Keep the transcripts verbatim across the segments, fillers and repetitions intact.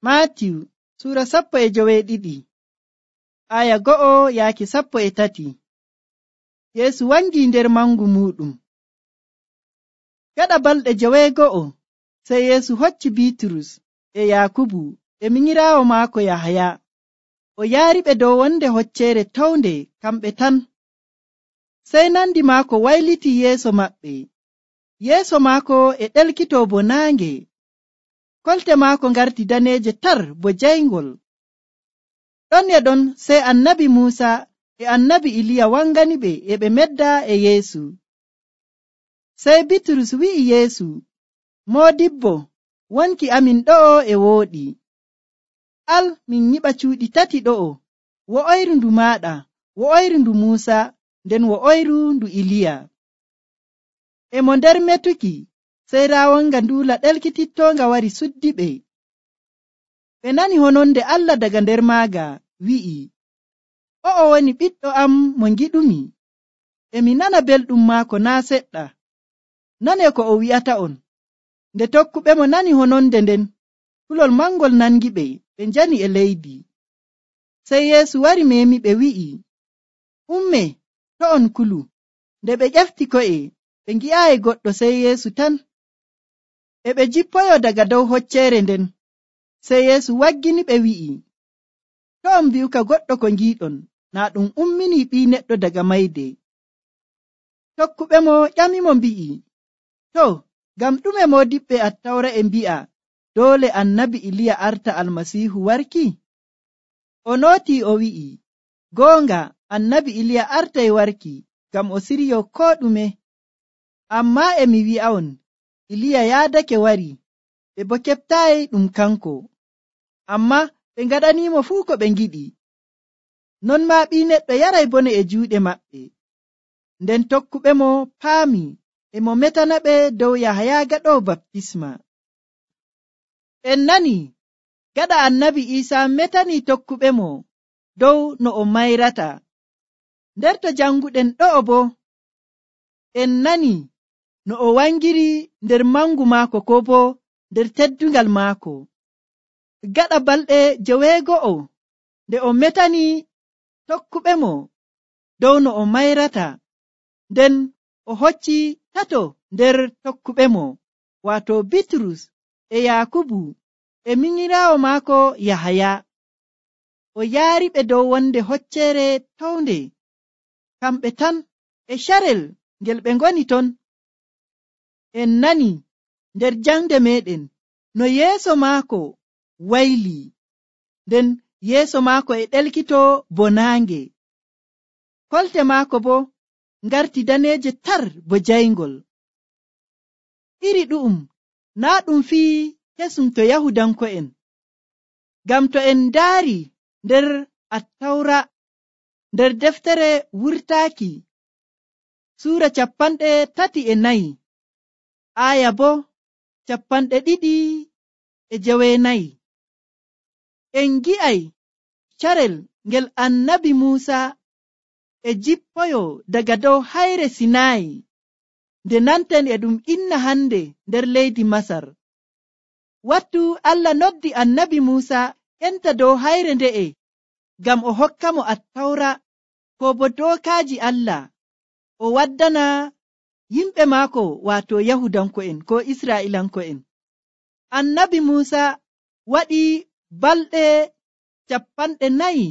Maatiyu Suura sappo e joweeɗiɗi aya go'o yaaki sappo e tati. Yeesu wangii nder mangu muuɗum. Gaɗa balɗe joweego'o sey Yeesu hocci Biiturus e Yaakubu e minyiraawo maako Yahaya o yaariɓe dow wonde hocceere townde kamɓe tan. Sey nandi maako wayliti yeeso maɓɓe. Yeeso maako e ɗelkitoo bo naange. Kolte maako ngarti daneeje tar bo jayngol. Ɗon e ɗon sey annabi Muusa e annabi Iliya wanganiɓe e ɓe medda e Yeesu. Sey Bitrus wi'i Yeesu, Moodibbo, wonki amin ɗo'o e wooɗi. Al min nyiɓa cuuɗi tati ɗo'o, wo'oyru ndu maaɗa, wo'oyru ndu Muusa, nden wo'oyru ndu Iliya. E mo nder metuki, sey raawanga nduula ɗelkitittoonga wari suddiɓe. Ɓe nani hononde Allah daga nder maaga wi'i, O'o woni ɓiɗɗo am mo ngiɗumi, e mi nana belɗum maako naa seɗɗa. Nanee ko o wi'ata'on. Nde tokkuɓe mo nani hononde nden, kulol mangol nangiɓe, ɓe njani e leydi. Sey Yeesu wari meemiɓe wi'i, Umme, to on kulu. Nde ɓe ƴefti ko'e, ɓe ngi'aayi goɗɗo sey Yeesu tan. E ɓe jippoyo daga dow hocceere nden. Sey Yeesu waggini ɓe wi'i, To on mbi'uka goɗɗo ko ngiiɗon, naa ɗum umminii Ɓii Neɗɗo daga mayde. Tokkuɓe mo ƴamimo mbi'i, To, ngam ɗume moodiɓɓe Attawra e mbi'a doole annabi Iliya arta Almasiihu warki? O nootii o wi'i, Goonga, annabi Iliya artay warki ngam o siryoo koo ɗume. Ammaa e mi wi'a'on, Iliya yaadake wari, ɓe boo keɓtaayi ɗum kanko. Ammaa ɓe ngaɗaniimo fuu ko ɓe ngiɗi. Non maa Ɓii Neɗɗo yaray bone e juuɗe maɓɓe. Nden tokkuɓe mo paami e mo metanaɓe dow Yahaya gaɗoowo baptisma. En nani gaɗa annabi Iisaa metanii tokkuɓe mo dow no o mayrata. Nder to janguɗen ɗo'o boo, en nani no o wangiri nder mangu maako koo boo nder teddungal maako. Gaɗa balɗe joweego'o nde o metanii tokkuɓe mo dow no o mayrata, nden o hocci tato nder tokkuɓe mo, waato Bitrus e Yaakubu e minyiraawo maako Yahaya. O yaariɓe dow wonde hocceere townde, kamɓe tan e carel ngel ɓe ngoni ton. En nani nder jangde meeɗen no yeeso maako waylii, nden yeeso maako e ɗelkitoo bo naange. Kolte maako boo ngarti daneeje tar bo jayngol. Iri ɗu'um naa ɗum fii kesum to Yahudanko'en, ngam to en ndaari nder Attawra, nder deftere wurtaaki, suura cappanɗe tati e nayi, aaya boo cappanɗe ɗiɗi e joweenayi, en ngi'ay carel ngel annabi Muusa e jippoyo daga dow hayre Sinaayi, nde nanten e ɗum inna hande nder leydi Masar. Wattu Allah noddi annabi Muusa enta dow hayre nde'e ngam o hokka mo Attawra koo bo dookaaji Allah o waddana yimɓe maako waato Yahudanko'en koo Israa'iilanko'en. Annabi Muusa waɗi balɗe cappanɗe nayi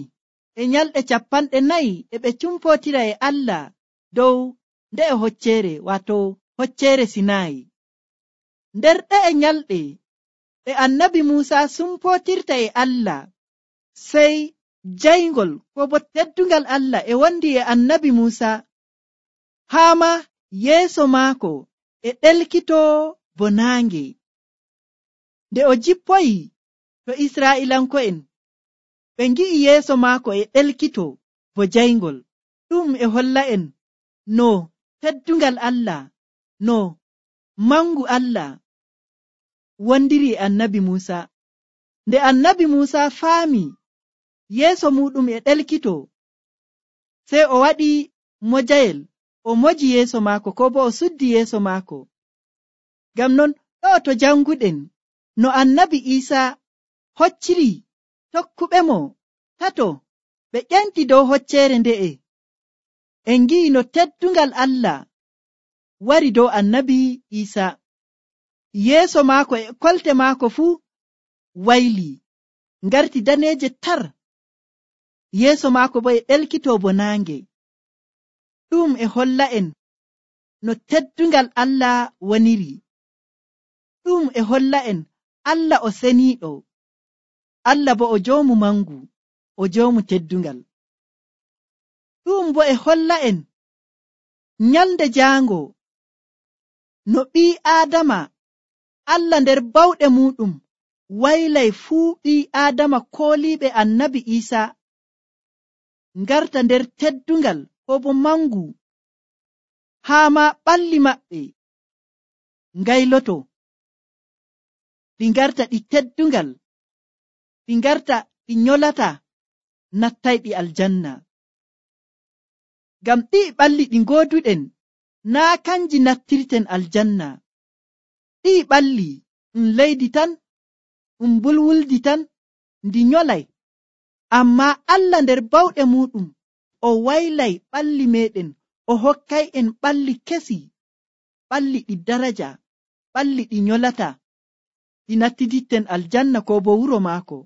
e nyalɗe cappanɗe nayi e ɓe cumpootira e Allah dow nde'e hocceere waato hocceere Sinaayi. Nder ɗe'e nyalɗe e annabi Muusa sumpootirta e Allah, sey jayngol koo bo teddungal Allah e wondi e annabi Muusa, haa ma yeeso maako e ɗelkitoo bo naange. Nde o jippoyi to Israa'iilanko'en, ɓe ngi'i yeeso maako e ɗelkitoo bo jayngol. Ɗum e holla'en no teddungal Allah, no mangu Allah wondiri e annabi Muusa. Nde annabi Muusa faami yeeso muɗum e ɗelkitoo, sey o waɗi mojayel, o moji yeeso maako koo bo o suddi yeeso maako. Ngam non ɗo to janguɗen no annabi Iisaa hocciri tokkuɓe mo tato ɓe ƴenti dow hocceere nde'e. En ngi'i no teddungal Allah wari dow annabi Isa. Yeeso maako e kolte maako fuu wayli, ngarti daneeje tar. Yeeso maako bo e ɗelkitoo bo naange. Ɗum e holla en no teddungal Allah woniri. Ɗum e holla en Allah o seniiɗo. Allah bo o joomu mangu, o joomu teddungal. Ɗum bo e holla en nyalde jaango no ɓii Aadama Allah nder bawɗe muɗum waylay fuu ɓii Aadama kooliiɓe annabi Isa ngarta nder teddungal ko bo mangu, haa ma ɓalli maɓɓe ngayloto, ɗi ngarta ɗi teddungal, ɗi ngarta ɗi nyolata nattayɗi aljanna. Ngam ɗi ɓalli ɗi ngooduɗen naa kanji nattirten aljanna. Ɗi ɓalli ɗum leydi tan, ɗum mbulwuldi tan, ndi nyolay. Ammaa Allah nder bawɗe muɗum o waylay ɓalli meɗen, o hokkay en ɓalli kesi, ɓalli ɗi daraja, ɓalli ɗi nyolata, ɗi nattiditten aljanna ko bo wuro maako.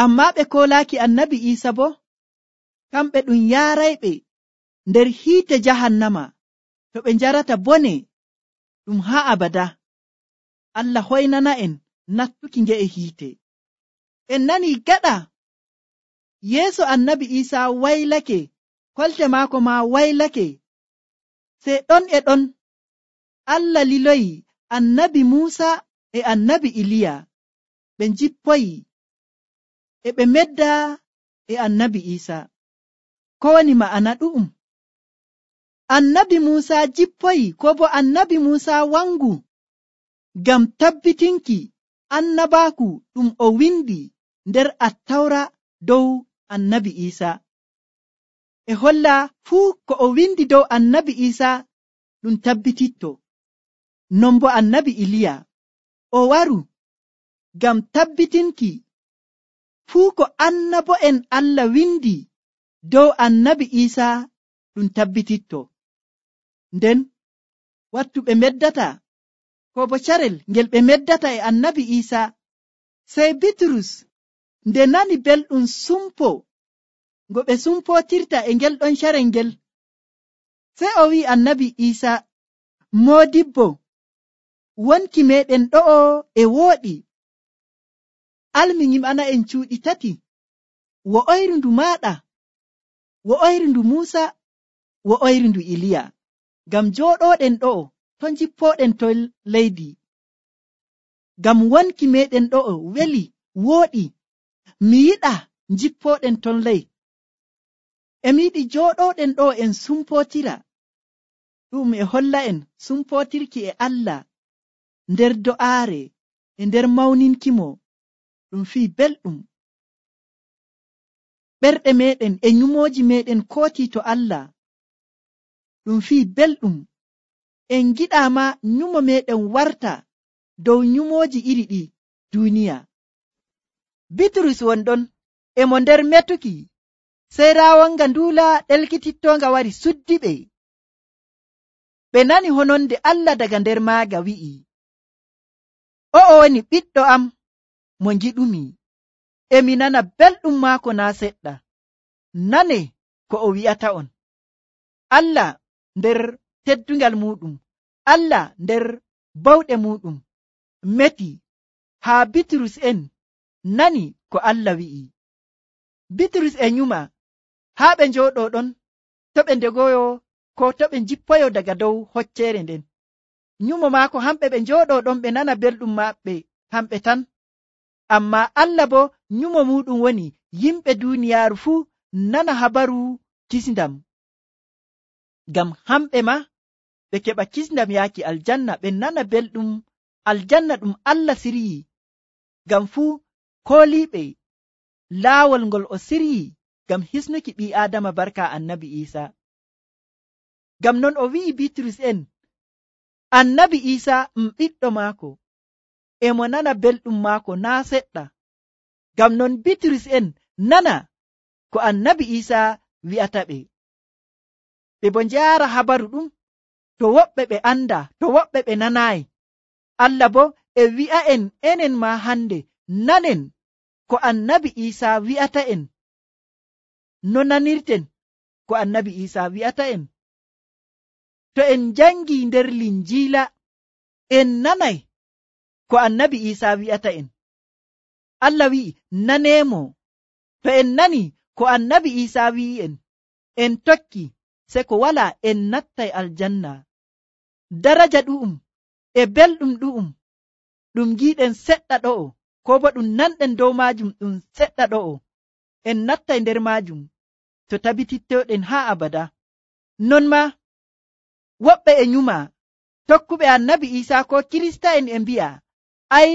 Ammaa ɓe koolaaki annabi Isa bo, kamɓe ɗum yaarayɓe nder hiite jahannama, to ɓe njarata bone ɗum haa abada. Allah hoynana en nattuki nge'e hiite. En nani gaɗa yeeso annabi Isa waylake, kolte maako ma waylake, sey ɗon e ɗon Allah liloyi annabi Muusa e annabi Iliya ɓe njippoyi e ɓe medda e annabi Isa. Ko woni ma'ana ɗu'um? Annabi Muusa jippoyi ko bo annabi Muusa wangu ngam tabbitinki annabaaku ɗum o windi nder Attawra dow annabi Isa. E holla fuu ko o windi dow annabi Isa ɗum tabbititto. Non bo annabi Iliya o waru ngam tabbitinki fuu ko annabo'en Allah windi dow annabi Isa ɗum tabbititto. Nden wattu ɓe meddata ko bo carel ngel ɓe meddata e annabi Isa, sey Bitrus nde nani belɗum sumpo ngo ɓe sumpotirta e ngel ɗon carel ngel, sey o wi'i annabi Isa, moodibbo, wonki meɗen ɗo'o e wooɗi. Almi nyiɓana en cuuɗi tati, wo'oyru ndu maaɗa, wo'oyru ndu Muusa, wo'oyru ndu Iliya. Ngam jooɗoɗen ɗo'o to njippoɗen to leydi. Ngam wonki meɗen ɗo'o weli wooɗi, mi yiɗa njippoɗen ton ley. Emi yiɗi jooɗoɗen ɗo en sumpotira. Ɗum e holla en sumpotirki e Allah nder do'aare e nder mawninkimo ɗum fii belɗum. Ɓerɗe meɗen e nyumooji meɗen kooti to Allah ɗum fii belɗum. En giɗaama nyumo meɗen warta dow nyumooji iri ɗi duniya. Bitrus wonɗon e mo nder metuki, sey raawanga nduula ɗelkitittonga wari suddi ɓe. Ɓe nani hononde Allah daga nder maaga wi'i, o'o woni ɓiɗɗo am mo ngiɗumi, emi nana belɗum maako naa seɗɗa. Nane ko o wi'ata on. Allah nder teddungal muɗum, Allah nder bawɗe muɗum meti haa Bitrus en nani ko Allah wi'i. Bitrus e nyuma haa ɓe njooɗo ɗon, to ɓe ndegoyo ko to ɓe njippoyo daga dow hocceere nden. Nyumo maako hamɓe ɓe njooɗo ɗon ɓe nana belɗum maɓɓe hamɓe tan. Ammaa Allah bo nyumo muɗum woni yimɓe duuniyaaru fuu nana habaru kisndam. Ngam hamɓe ma ɓe keɓa kisndam yaaki aljanna, ɓe nana belɗum aljanna ɗum Allah siryi. Ngam fuu kooliiɓe laawol ngol o siryi ngam hisnuki ɓii Aadama barka annabi Isa. Ngam non o wi'i Bitrus en, annabi Isa um ɓiɗɗo maako, e mo nana belɗum maako naa seɗɗa. Ngam non Bitrus en nana ko annabi Isa wi'ata ɓe. Ɓe bo njaara habaru ɗum, to woɓɓe ɓe anda, to woɓɓe ɓe nanaayi. Allah bo e wi'a'en enen ma hande nanen ko annabi Isa wi'ata en. No nanirten ko annabi Isa wi'ata en? To en jangi nder Linjiila en nanay ko annabi Isa wi'ata en. Allah wi'i naneemo. To en nani ko annabi Isa wi'i en, en tokki, se ko wala en nattay aljanna. Daraja ɗu'um e belɗum ɗu'um ɗum giɗen seɗɗa ɗo'o, ko bo ɗum nanɗen dow maajum ɗum seɗɗa ɗo'o, en nattay nder maajum to tabitittoɗen haa abada. Non ma woɓɓe e nyuma tokkuɓe annabi Isa ko Kirista en e mbi'a, ai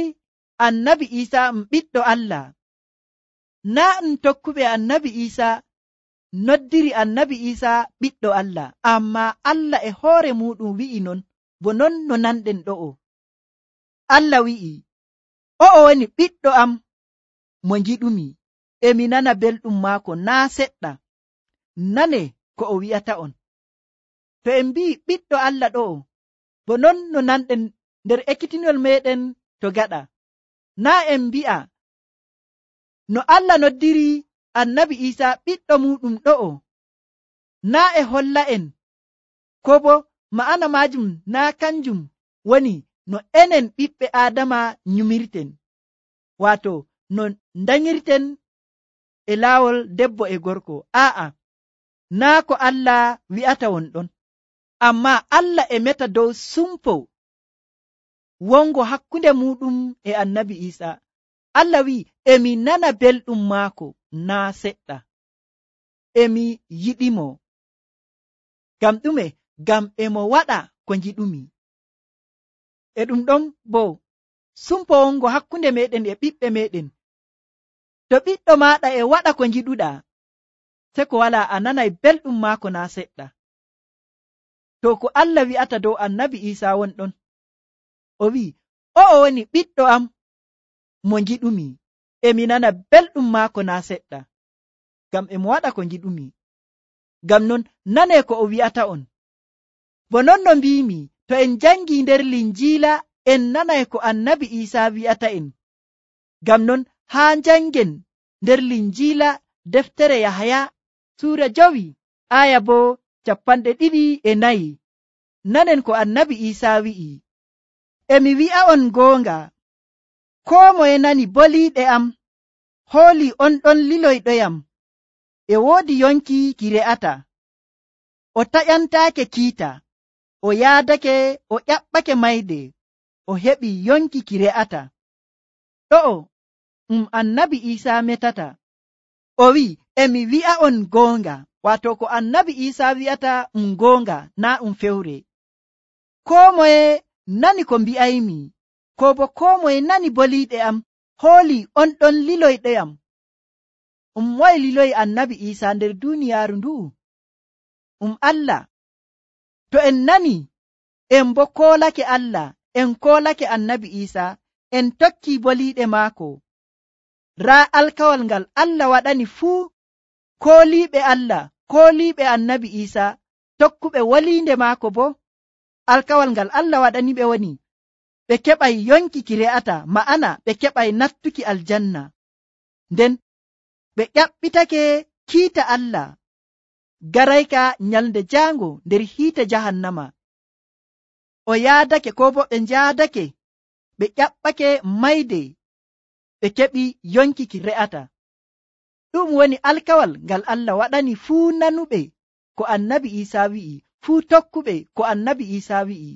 annabi Isa um ɓiɗɗo Allah. Naa ɗum tokkuɓe annabi Isa noddiri annabi Isa ɓiɗɗo Allah, amma Allah e hoore muɗum wi'i non, bo non no nanɗen ɗo'o. Allah wi'i, o'o woni ɓiɗɗo am mo ngiɗumi, emi nana belɗum maako naa seɗɗa. Nane ko o wi'ata on. To en mbi'i ɓiɗɗo Allah ɗo'o, bo non no nanɗen nder ekkitinol meɗen to gaɗa. Naa en mbi'a no Allah noddiri annabi Isa ɓiɗɗo muɗum ɗo'o, naa e holla en, ko bo ma'ana majum naa kanjum woni no enen ɓiɓɓe Aadama nyumirten, wato no danyirten e laawol debbo e gorko. Aa'a, naa ko Allah wi'ata won ɗon. Amma Allah e meta dow sumpo wongo hakkunde muɗum e annabi Isa. Allah wi'i, emi nana belɗum maako naa seɗɗa, emi yiɗimo. Ngam ɗume? Ngam emo waɗa ko ngiɗumi. E ɗum ɗon bo sumpo wongo hakkunde meɗen e ɓiɓɓe meɗen. To ɓiɗɗo maɗa e waɗa ko ngiɗuɗa, se ko wala a nanay belɗum maako naa seɗɗa. To ko Allah wi'ata dow annabi Isa won ɗon. O wi'i, o'o woni ɓiɗɗo am mo ngiɗumi, emi nana belɗum maako naa seɗɗa, ngam emo waɗa ko ngiɗumi. Ngam non nane ko o wi'ata on. Bo non no mbimi, to en jangi nder Linjiila en nanay ko annabi Isa wi'ata en. Ngam non haa jangen nder Linjiila deftere Yahaya suura jowi aya bo capanɗe ɗiɗi e nayi. Nanen ko annabi Isa wi'i, emi wi'a on goonga, koo moye nani boliiɗe am hooli on ɗon liloyɗoyam, e woodi yonki ki re'ata. O taƴantaake kiita, o yaadake, o ƴaɓɓake mayde, o heɓi yonki ki re'ata. Ɗo'o um annabi Isa metata. O wi'i, emi wi'a on goonga, wato ko annabi Isa wi'ata um goonga, naa um fewre. Koo moye nani ko mbi'aymi, ko bo koo moye nani boliiɗe am hooli on ɗon liloyɗoyam. Um moye liloyi annabi Isa nder duniyaaru ndu'u? Um Allah. To en nani en bo koolake Allah, en koolake annabi Isa, en tokki boliiɗe maako, raa alkawal ngal Allah waɗani fuu kooliiɓe Allah, kooliiɓe annabi Isa, tokkuɓe woliinde maako bo, alkawal ngal Allah waɗani ɓe woni ɓe keɓay yonki ki re'ata, ma'ana ɓe keɓay nattuki aljanna. Nden ɓe ƴaɓɓitake kiita Allah garayka nyalde jaango nder hiite jahannama. O yaadake, ko bo ɓe njaadake, ɓe ƴaɓɓake mayde, ɓe keɓi yonki ki re'ata. Ɗum woni alkawal ngal Allah waɗani fuu nanuɓe ko annabi Isa wi'i, fuu tokkuɓe ko annabi Isa wi'i.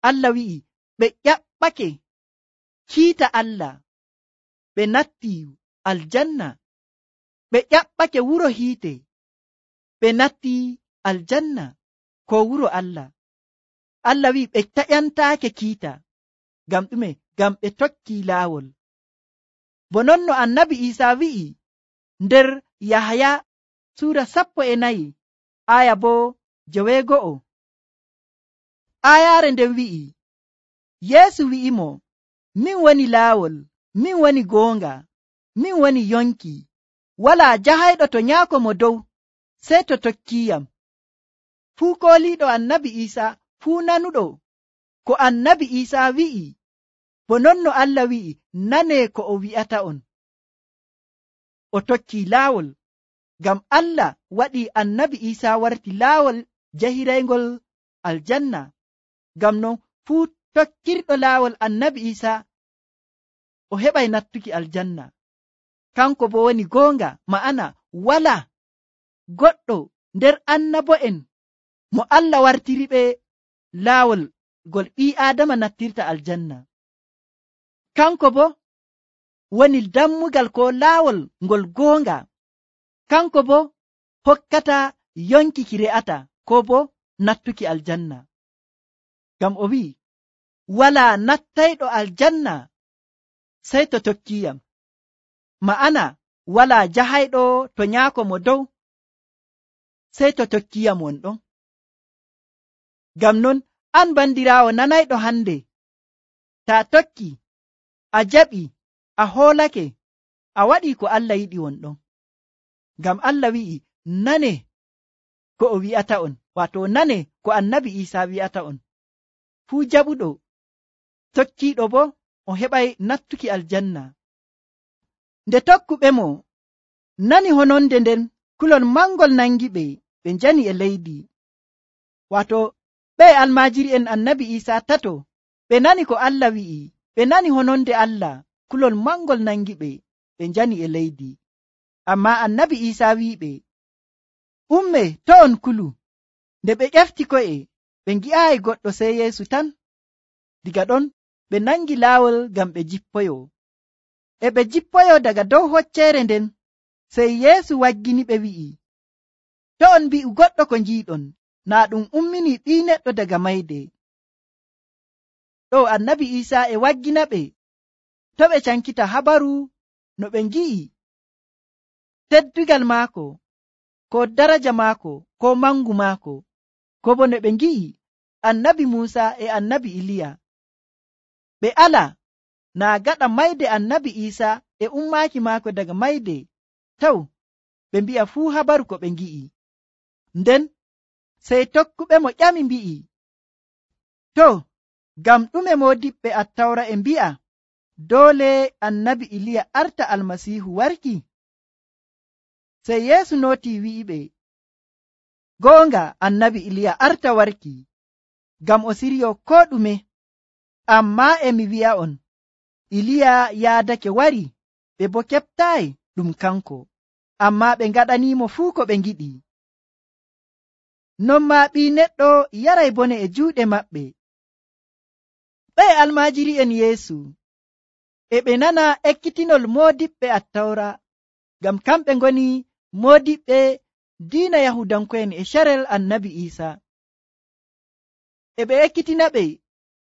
Allah wi'i ɓe ƴaɓɓake kiita Allah, ɓe natti aljanna, ɓe ƴaɓɓake wuro hiite, ɓe natti aljanna ko wuro Allah. Allah wi'i ɓe taƴantaake kiita. Ngam ɗume? Ngam ɓe tokki laawol. Bo non no annabi Isa wi'i nder Yahaya suura sappo e nayi aya bo joweego'o. Ayaare nden wi'i, Yeesu wi'imo, min woni laawol, min woni goonga, min woni yonki, walaa jahayɗo to nyaako mo dow sey to tokkiiyam. Fuu kooliiɗo annabi Iisaa, fuu nanuɗo ko annabi Iisaa wi'i, bo non no Allah wi'i, nanee ko o wi'ata'on. O tokkii laawol, ngam Allah waɗii annabi Iisaa warti laawol jahiraygol aljanna. Ngam non fuu tokkirɗo laawol annabi Iisaa o heɓay nattuki aljanna. Kanko bo woni goonga, ma'ana walaa goɗɗo nder annabo'en mo Allah wartiriɓe laawol ngol ɓii Aadama nattirta aljanna. Kanko bo woni dammugal ko laawol ngol goonga. Kanko bo hokkata yonki ki re'ata ko bo nattuki aljanna. Ngam o wi'i, walaa nattayɗo aljanna sey to tokkiiyam. Ma'ana walaa jahayɗo to nyaako mo dow sey to tokkiiyam wonɗon. Ngam non an bandiraawo nanayɗo hande, taa tokki, a jaɓi, a hoolake, a waɗii ko Allah yiɗi wonɗon. Ngam Allah wi'i, nane ko o wi'ata'on, waato nane ko annabi Iisaa wi'ata'on. Fuu jaɓuɗo tokkiiɗo bo o heɓay nattuki aljanna. Nde tokkuɓe mo nani hononde nden, kulol mangol nangiɓe, ɓe njani e leydi. Waato ɓe almaajiri'en annabi Iisaa tato, ɓe nani ko Allah wi'i, ɓe nani hononde Allah, kulol mangol nangiɓe, ɓe njani e leydi. Ammaa annabi Iisaa wi'iɓe, umme to on kulu. Nde ɓe ƴefti ko'e, ɓe ngi'aayi goɗɗo sey Yeesu tan. Diga ɗon ɓe nangi laawol ngam ɓe jippoyo. E ɓe jippoyo daga dow hocceere nden, sey Yeesu waggini ɓe wi'i, to on mbi'u goɗɗo ko njiiɗon, naa ɗum ummini ɓii neɗɗo daga mayde. Ɗo annabi Iisaa e waggina ɓe to ɓe cankita habaru no ɓe ngi'i teddugal maako, ko daraja maako, ko mangu maako, ko bo no ɓe ngi'i annabi Muusa e annabi Iliya. Ɓe ala naa gaɗa mayde annabi Iisaa e ummaaki maako daga mayde, taw ɓe mbi'a fuu habaru ko ɓe ngi'i. Nden sey tokkuɓe mo ƴami mbi'i, to ngam ɗume moodiɓɓe attawra e mbi'a doole annabi Iliya arta almasiihu warki? Sey Yeesu nootii wi'iɓe, goonga annabi Iliya arta warki, ngam o siryo koo ɗume. Ammaa e mi wi'a'on, Iliya yaadake wari, ɓe bo keɓtaayi ɗum kanko, ammaa ɓe ngaɗaniimo fuu ko ɓe ngiɗi. Non maa ɓii neɗɗo yaray bone e juuɗe maɓɓe. Ɓe almaajiri'en Yeesu e ɓe nana ekkitinol moodiɓɓe attawra, ngam kamɓe ngoni moodiɓɓe diina Yahudanko'en e carel annabi Iisaa. E ɓe ekkitina ɓe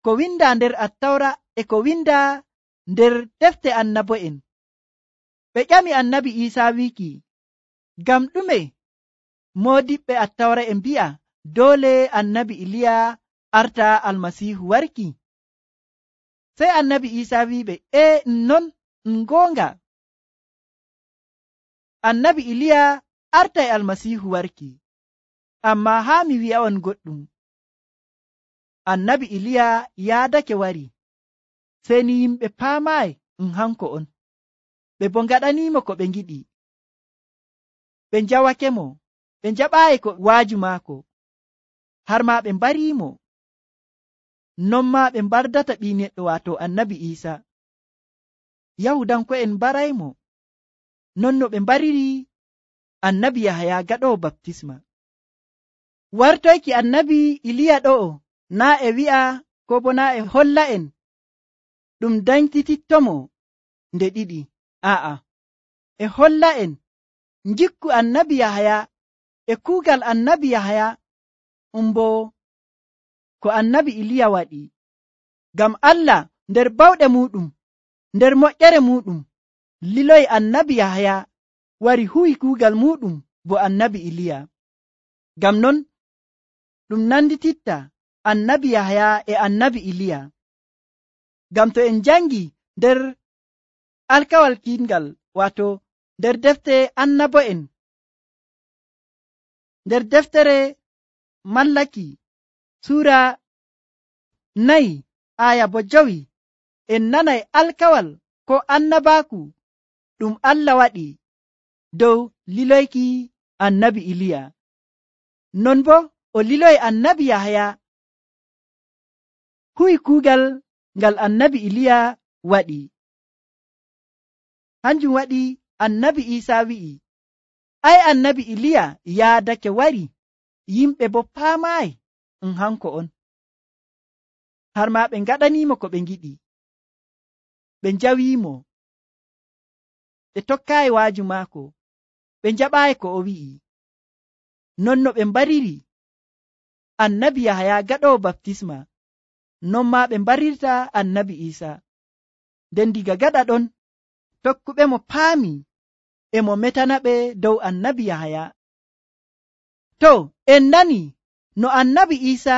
ko windaa nder attawra e ko windaa nder defte annabo'en. Ɓe ƴami annabi Iisaa wiiki, ngam ɗume moodiɓɓe attawra e mbi'a doole annabi Iliya arta almasiihu warki? Sey annabi Iisaa wi'iɓe, e non ɗum goonga, annabi Iliya artay almasiihu warki. Ammaa haa mi wi'a'on goɗɗum, annabi Iliya yaadake wari, sey ni yimɓe paamaayi ɗum hanko on. Ɓe bo ngaɗaniimo ko ɓe ngiɗi. Ɓe njawake mo, ɓe njaɓaayi ko waaju maako, har maa ɓe mbariimo. Non maa ɓe mbardata ɓii neɗɗo, waato annabi Iisaa. Yahudanko'en mbaraymo, non no ɓe mbariri annabi Yahaya gaɗoowo baptisma. Wartoyki annabi Iliya ɗo'o naa e wi'a ko bo naa e holla en ɗum dañtitittomo nde ɗiɗi. Aa'a, e holla en njikku annabi Yahaya e kuugal annabi Yahaya um bo ko annabi Iliya waɗi. Ngam Allah nder bawɗe muɗum, nder moƴƴere muɗum, liloyi annabi Yahaya wari huwi kuugal muɗum bo annabi Iliya. Ngam non ɗum nandititta annabi Yahaya e annabi Iliya. Ngam to en jangi nder alkawal kiingal wato nder defte annabo'en nder deftere mallaki sura nayi aya bo jowi en nanay alkawal ko annabaaku ɗum Allah waɗi dow liloyki annabi Iliya. Non bo o liloyi annabi Yahaya huwi kuugal ngal annabi Iliya waɗi. Hanjum waɗi annabi Isa wi'i, ai annabi Iliya yaadake wari, yimɓe bo paamaayi um hanko on. Har ma ɓe ngaɗanimo ko ɓe ngiɗi, ɓe njawiimo, ɓe tokkaayi waaju maako, ɓe njaɓaayi ko o wi'i. Non no ɓe mbariri annabi Yahaya gaɗowo baptisma, non ma ɓe mbarirta annabi Isa. Nden diga gaɗa ɗon tokkuɓe mo paami e mo metana ɓe dow annabi Yahaya. To en nani no annabi Isa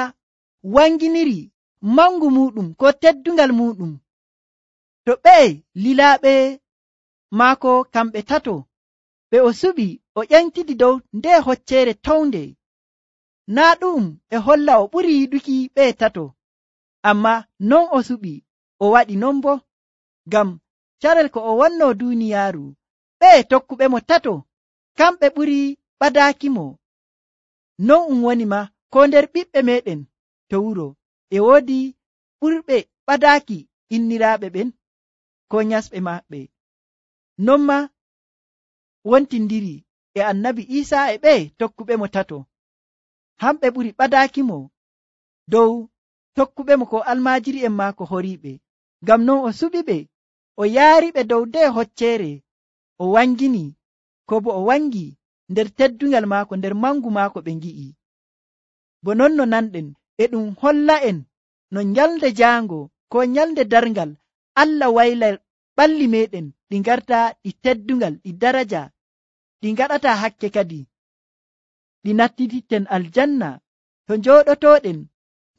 wanginiri mangu muɗum ko teddungal muɗum, to ɓe lilaaɓe maako kamɓe tato ɓe o suɓi o ƴentidi dow nde hoccere townde, naa ɗum e holla o ɓuri yiɗuki ɓe tato, amma non o suɓi o waɗi non bo ngam carel ko o wonno duniyaaru, ɓe tokkuɓe mo tato kamɓe ɓuri ɓadaakimo. Non um woni ma ko nder ɓiɓɓe meɗen to wuro e woodi ɓurɓe ɓadaaki inniraaɓe ɓen ko nyasɓe maɓɓe. Non ma wontindiri e annabi Isa e ɓe tokkuɓe mo tato, hamɓe ɓuri ɓadaakimo dow tokkuɓe mo ko almaajiri'en maako horiiɓe. Ngam non o suɓi ɓe o yaariɓe dow nde hoccere o wangini, ko bo o wangi nder teddungal maako, nder mangu maako ɓe ngi'i. Bo non no nanɗen e ɗum holla en no nyalde jaango ko nyalde darngal Allah wayla ɓalli meɗen ɗi garta ɗi teddungal, ɗi daraja, ɗi ngaɗata hakke kadi, ɗi nattititten aljanna to njooɗotoɗen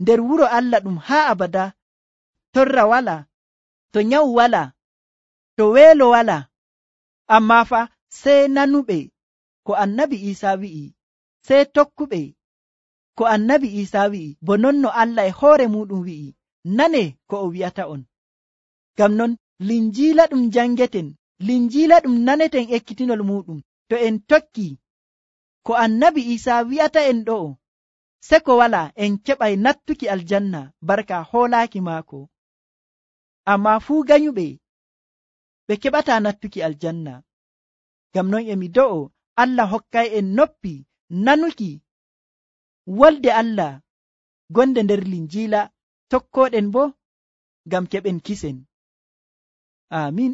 nder wuro Allah ɗum haa abada. Torra wala, to nyawu wala, to weelo wala, amma fa sey nanuɓe ko annabi Isa wi'i, sey tokkuɓe ko annabi Isa wi'i, bo non no Allah e hoore muɗum wi'i. Nane ko o wi'ata on. Ngam non linjiila ɗum jangeten, linjiila ɗum naneten ekkitinol muɗum, to en tokki ko annabi Isa wi'ata en ɗo'o, se ko wala en keɓay nattuki aljanna barka hoolaaki maako. Amma fuu ganyuɓe ɓe keɓata nattuki aljanna. Ngam non emi do'o Allah hokkay en noppi nanuki wolde Allah gonde nder linjiila, tokkoɗen bo ngam keɓen kisen. Amin.